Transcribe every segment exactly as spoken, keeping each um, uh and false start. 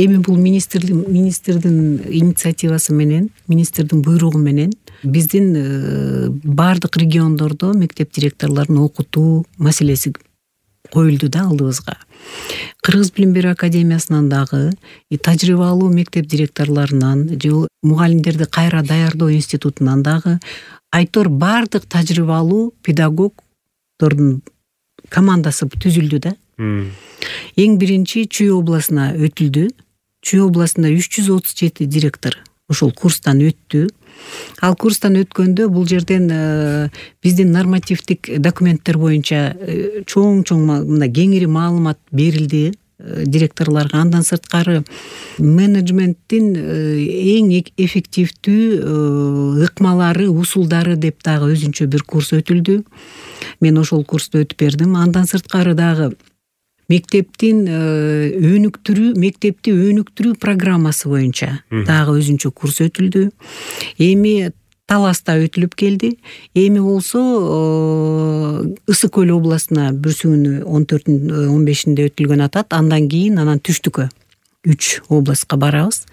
Эми бул министрдин министрдин инициативасы менен, министрдин буйругу менен биздин баардык региондордо мектеп директорлорун окутуу маселеси коюлду да алдыбызга. Кыргыз билим берүү академиясынан дагы, тажрыйбалуу мектеп директорлорунан же мугалимдерди кайра даярдоо институтунан дагы айтор баардык тажрыйбалуу педагогдордун командасы түзүлдү да. Эң биринчи Чүй областына өтүлдү. Чүй областында үч жүз отуз жети директор ошол курстан өттү. Ал курстан өткөндө бул жерден биздин нормативдик документтер боюнча чоң-чоң мындай кеңири маалымат берилди директорлорго. Андан сырткары менеджменттин эң эффективдүү ыкмалары, усулдары деп дагы өзүнчө бир курс өтүлдү. Мен ошол курсту өтүп бердим. Андан сырткары дагы мектептин өнүктүрүү, мектепти өнүктүрүү программасы боюнча дагы өзүнчө курс өтүлдү. Эми Таласта өтүлүп келди. Эми болсо Ысык Көл областына бүрсүгүнү он төртүндө он бешинде өтүлгөн атат. Андан кийин анан түштүккө үч областка барабыз.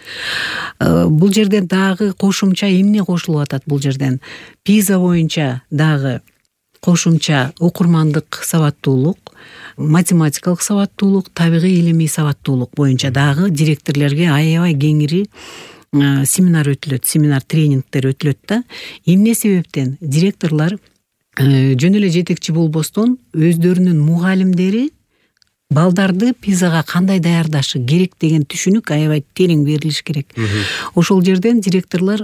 Бул жерден дагы кошумча эмне кошулуп атат бул жерден? Пиза боюнча дагы кошумча окурмандык сабаттуулук, математикалык сабаттуулук, табигый илимий сабаттуулук боюнча дагы директорлорго аябай кеңири семинар өтүлөт, семинар тренингдер өтүлөт да. Эмне себептен? Директорлор жөн эле жетекчи болбостон өздөрүнүн мугалимдери балдарды пизага кандай даярдашы керек деген түшүнүк аябай терең берилиш керек. Ошол жерден директорлор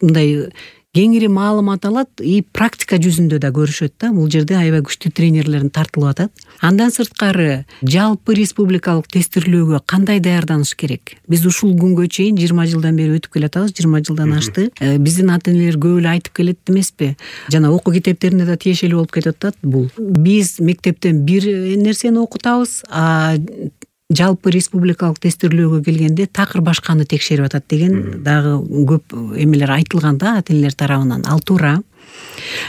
мындай кеңири маалымат алат и практика жүзүндө да көрүшөт да. Бул жерде аябай күчтүү тренерлерин тартылып атат. Андан сырткары жалпы республикалык тестирлөөгө кандай даярданыш керек? Биз ушул күнгө чейин жыйырма жылдан бери өтүп келатабыз, жыйырма жылдан ашты. Биздин ата-энелер көп эле айтып келет эмеспи? Жана окуу китептеринде да тиешелүү болуп кетип атат бул. Биз мектептен бир нерсени окутабыз, а жалпы республикалык тестирлөөгө келгенде такыр башканы текшерип атат деген дагы көп эмелер айтылган да ата-энелер тарабынан. Ал туура.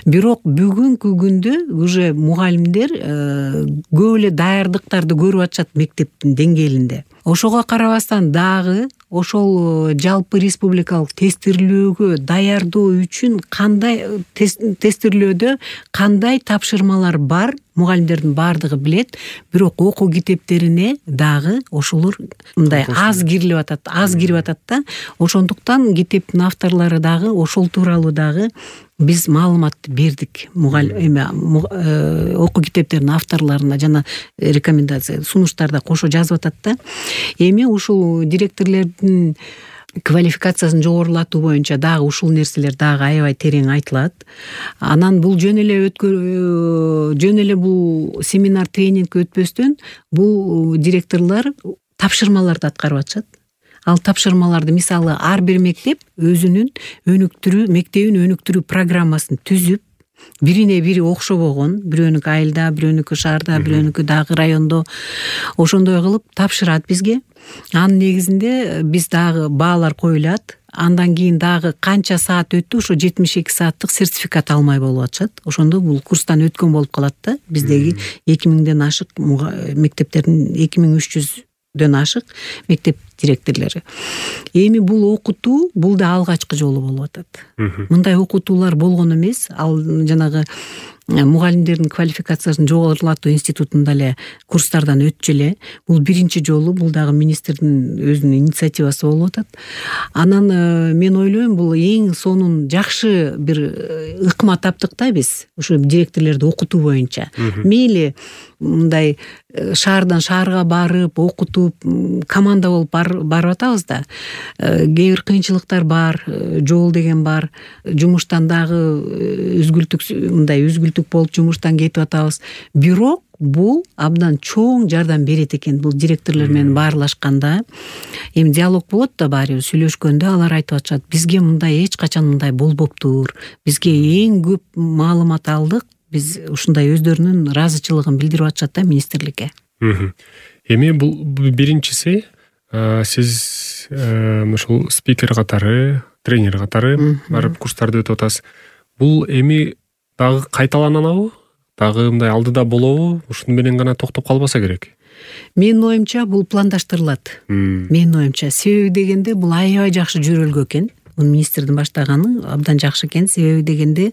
Бирок бүгүнкү күндө уже мугалимдер көп эле даярдыктарды көрүп атышат мектептин деңгээлинде. Ошого карабастан дагы ошол жалпы республикалык тестирлөөгө даярдоо үчүн кандай тестирлөөдө кандай тапшырмалар бар, мугалимдердин баардыгы билет. Бирок окуу китептерине дагы ошолор мындай аз кирилип атат, аз кирип атат да. Ошондуктан китептин авторлору дагы ошол тууралуу дагы биз маалымат бердик мугалим эме окуу китептердин авторлоруна жана рекомендация сунуштарда кошо жазып атат да. Эми ушул директорлордун квалификациясын жогорулатуу боюнча дагы ушул нерселер дагы аябай терең айтылат. Анан бул жөн эле өткө жөн эле бул семинар тренинг өтпөстөн бул директорлор тапшырмаларды аткарып атышат. Ал тапшырмаларды мисалы ар бир мектеп өзүнүн өнүктүрүү, мектебин өнүктүрүү программасын түзүп, бирине бири окшобогон, бирөөнүкү айылда, бирөөнүкү шаарда, бирөөнүкү дагы райондо ошондой кылып тапшырат бизге. Анын негизинде биз дагы баалар коюлат. Андан кийин дагы канча саат өттү, ошо жетимиш эки сааттык сертификат алмай болуп атышат. Ошондо бул курстан өткөн болуп калат да. Биздеги эки миңден ашык мектептердин эки миң үч жүздөн ашык мектеп директорлору. Эми бул окутуу бул да алгачкы жолу болуп атат. Мындай окутуулар болгон эмес. Ал жанагы мугалимдердин квалификациясын жогорулатуу институтунда эле курстардан өтчү эле. Бул биринчи жолу, бул дагы министрдин өзүнүн инициативасы болуп атат. Анан мен ойлойм, бул эң сонун жакшы бир ыкма таптык да биз ушу директорлорду окутуу боюнча. Мейли мындай шаардан шаарга барып окутуп команда болуп барып атабыз да. Кээ бир кыйынчылыктар бар, жол деген бар. Жумуштан дагы үзгүлтүк мындай үзгүлтүк болуп жумуштан кетип атабыз. Бирок бул абдан чоң жардам берет экен бул директорлор менен баарлашканда. Эми диалог болот да, баары сүйлөшкөндө алар айтып атышат, бизге мындай эч качан мындай болбоптур. Бизге эң көп маалымат алдык. Биз ушундай өздөрүнүн ыраазычылыгын билдирип атышат да министрликке. Эми бул биринчиси сиз ушул спикер катары, тренер катары барып курстарды өтүп атасыз. Бул эми дагы кайталанабы? Дагы мындай алдыда болобу? Ушуну менен гана токтоп калбаса керек. Менин оюмча бул пландаштырылат. Менин оюмча себеби дегенде бул аябай жакшы жөрөлгө экен. Муну министрдин баштаганы абдан жакшы экен. Себеби дегенде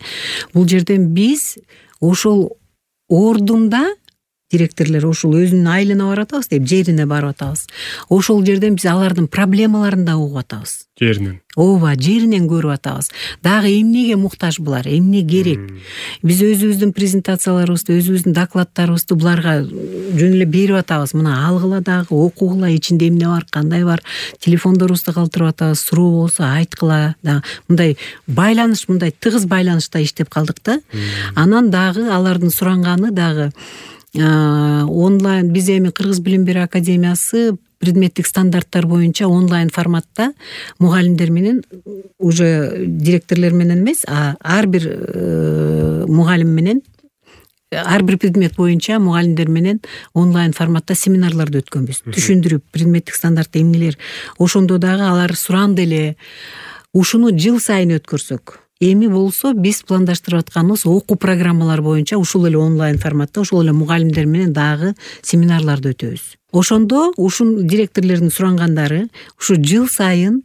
бул жерден биз ошол ордунда директорлор ушул өзүнүн айылына барып атабыз деп, жерине барып атабыз. Ошол жерден биз алардын проблемаларын да угуп атабыз. Жеринен. Ооба, жеринен көрүп атабыз. Дагы эмнеге муктаж булар, эмне керек? Биз өзүбүздүн презентацияларыбызды, өзүбүздүн докладтарыбызды буларга жөн эле берип атабыз. Мына алгыла дагы, окугула, ичинде эмне бар, кандай бар, телефондорубузду калтырып атабыз, суроо болсо айткыла. Дагы мындай байланыш, мындай тыгыз байланышта иштеп калдык да. Анан дагы алардын суранганы дагы онлайн, биз эми Кыргыз билим берүү академиясы предметтик стандарттар боюнча онлайн форматта мугалимдер менен, уже директорлор менен эмес, а ар бир мугалим менен, ар бир предмет боюнча мугалимдер менен онлайн форматта семинарларды өткөнбүз. Түшүндүрүп, предметтик стандартта эмнелер. Ошондо дагы алар суранды эле. Ушуну жыл сайын өткөрсөк. Эми болсо биз пландаштырып атканыбыз окуу программалар боюнча ушул эле онлайн форматта, ушул эле мугалимдер менен дагы семинарларды өтөбүз. Ошондо ушул директорлордун сурангандары ушу жыл сайын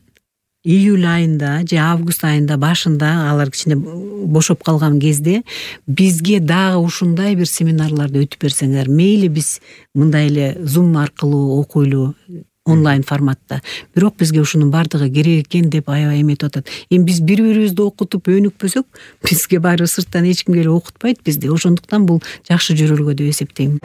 июль айында же август айында башында, алар кичине бошоп калган кезде бизге дагы ушундай бир семинарларды өтүп берсеңер, мейли биз мындай эле Zoom аркылуу окуйлу онлайн форматта. Бирок бизге ушунун бардыгы керек экен деп аябай эметип атат. Эми биз бири-бирибизди окутуп өнүкпөсөк, бизге баары сырттан эч ким келип окутпайт бизди. Ошондуктан бул жакшы жөрөлгө деп эсептейм.